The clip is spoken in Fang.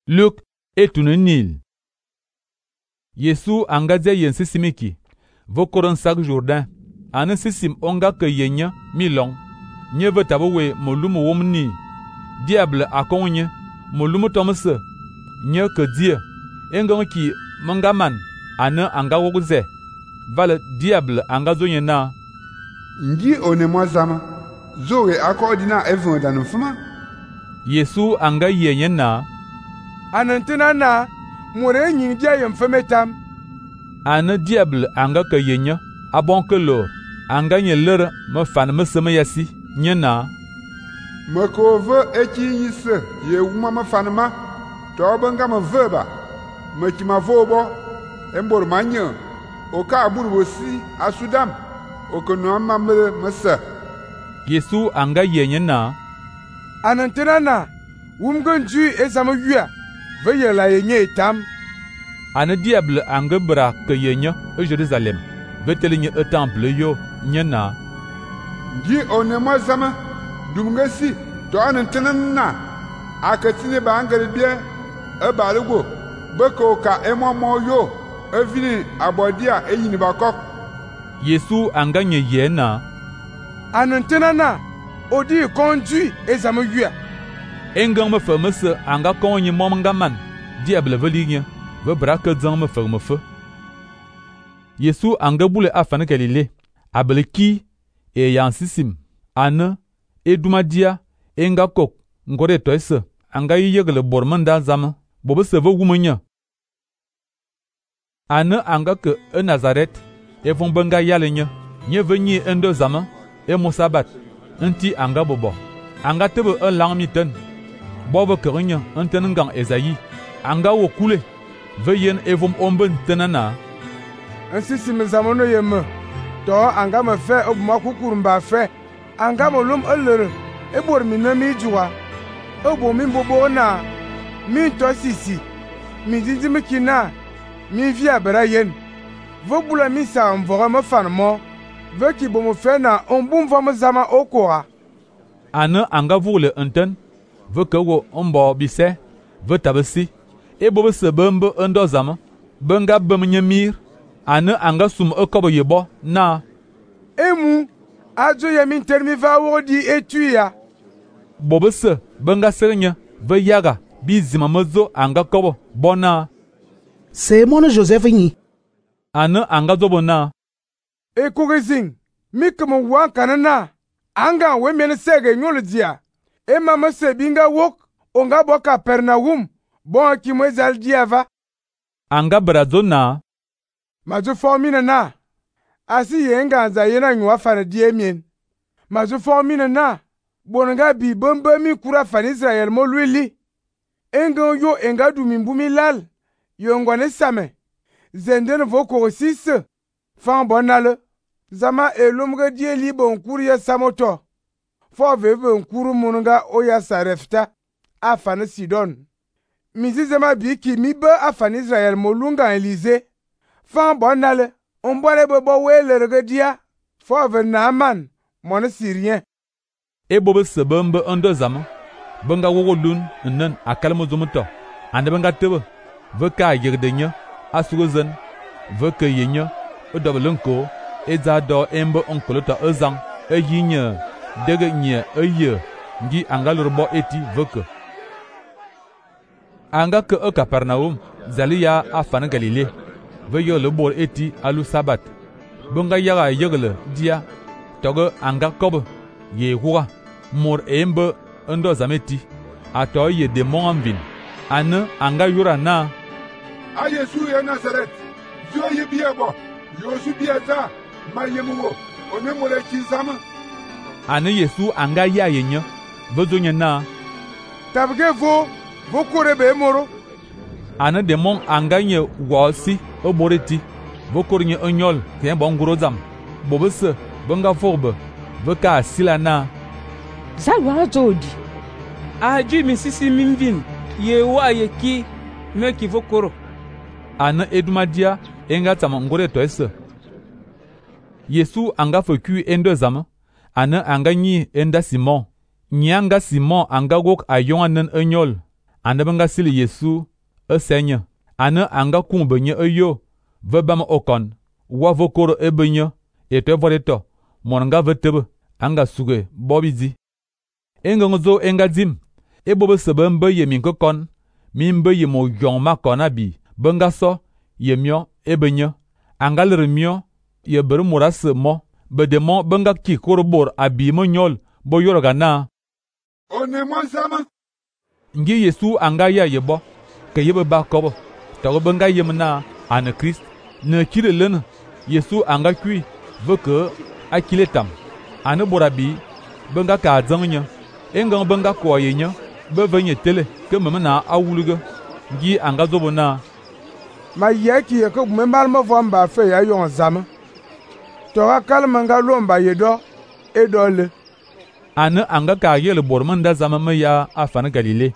Luk etun nil. Yesu anga dia yen sisimiki, vokoron sak Jourdain, ane sisim onga ke yenya mi long. Nye ve tabe we molum wom ni. Diable akon nye, molum tomse. Nye ke die, engon ki menga man, ane anga wogze. Vale diable anga zo nye na. Ngi one moi zama, zoe akodina evon dan fuma. Yesu anga yenye na. Anantena na, more nyin dia yem femetam. Ane diable anga ke yenya, abon ke lor, anga nye lere me fan me seme yasi, nye na. Me ko ve eki yise, ye wuma me fanma, to benga me veba, me ki ma vobo, embor manye, o ka abur wosi asudam, o ke no mamre me se. Yesu anga yenye na. Anantena na, wumgenju ezama yua, veye la yenye etam. Ane diable anga bra ke yenya e Jerusalem, veteli nye e temple yo, nye na. Ngi one moi zama, dumgesi, to anantena na, akatine ba angere bien, e balugo, beko ka mo yo, e vini abodia e yini bakok. Yesu anga nye ye na. Anantena na, odi konju ezama yua. Engang me fe me se anga kon nye mom nga man, diable veli nye, ve bra ke dzang me fe me fe. Yesu anga boule afane Galilée, abele ki, e yan sisim, ane, e dumadia, enga kok, ngore toise, anga yegle bormanda zame, bobe se ve wumenya. Ane anga ke e Nazaret, e von benga yale nye venye endo zame, e mosabat, nti anga bobo, anga tebe e lang miten, bobe kerinye enten ngang Esaïe, anga wo kule, ve yen evom omben tenana. Ainsi si me zamono yeme, to anga me fe obuma kukurumba fe, anga mo lum elere, e bor mi na mi juwa, e bo mi bobo na, mi to sisi, mi dindi mi kina, mi via bera yen, ve bula mi sa mvora me fan mo, ve ki bo mo fe na ombum va me zama okora. Ane anga voule enten, ve ke wo ombo bise, ve tabesi, e bobe se bembe endo zama, benga bemnye mir, ane anga sum e kobo yebo na. Emu, ajo yemin termi va wodi etuya. Bobe se, benga serenye, ve yaga, bi zima mezo anga kobo, bona. C'est mon Joseph nyi. Ane anga zobo na. E kugizing, mi kemo wan kanana, anga we mene sege nyole dia. E mama se binga wok, onga boka Pernaum, bon ki mwezal diava. Anga brazo na. Mazu formina na. Asi yenga anza yena nywa fana diemien. Mazu formina na. Bonanga bi bombe mi kura fan Israel mo luili. Enga yo enga du mimbumi lal. Yo ngwane same. Zenden voko sisse. Fan bonale. Zama elumge die li bon kuri ya samoto. Fo veve nkuru munga oya sarefta. Afane Sidon. Mizi zema bi ki mi be afane Israel mo lunga Elize. Fan bonale. Ombole bobo wele regedia. Fo ve Naaman. Mon Syrien. E bobe se bembe endo zama, benga wogo lun nen akalmo zumuto, ande benga tebe, ve ka yegde nye, asugozen, ve ke yenye, e dobelenko, e za do embe onkolota ezang, e yinye, dege nye e ye, ngi anga lurbo eti veke. Anga ke e Kapernaum, zali ya afane Galilée, ve yo le bol eti alu sabat, benga yaga yegle dia, toge anga kobe, ye hura. Mor embe endo zameti ato ye demon anvin ane anga yura na. A Yesu ya Nazaret, yo ye biebo, yo su bieta, ma yemuwo, one mole kizama. Ane Yesu anga ya yenye, vezonye na. Tabge vo korebe moro. Ane demon anga nye wasi oboreti, vokornye enyol kien bon grozam, bobese benga forbe, veka asila na. Zalwa zodi. Aju mi sisi mimvin, ye wa ye ki, me ki vokoro. Ane edumadia, enga tama ngore toese. Yesu anga foku endo zama, ane anga nyi enda Simon. Nyanga Simon anga gok ayonga nen enyol. ane benga sili Yesu senya, ane anga kung benye yo, ve bam okon, wa vokoro benye, eto vodeto, monanga vetebe, anga suge bobizi. Engonzo enga dim, bobe sebe mbe ye minkokon, mi mbe ye mo yong makon abi, benga so, ye mio benye, anga lere mio, ye ber murase mo, bedemo benga ki korobor abi mo nyol, bo yoroga na. One mwansama. Ngi Yesu anga ya yebo, ke yebe ba kobo, to benga yemna ane Christ, ne kire len, Yesu anga kui, veke akiletam, ane borabi, benga ka zangnya, engang benga kwa yenya, bevenye tele, ke memena awuluge, ngi anga zobo na. Ma yeki ye ko membal mo vamba fe ya yon zama. To akal manga lomba yedo edole. Ane anga ka yele bormanda zama me ya afan Galile.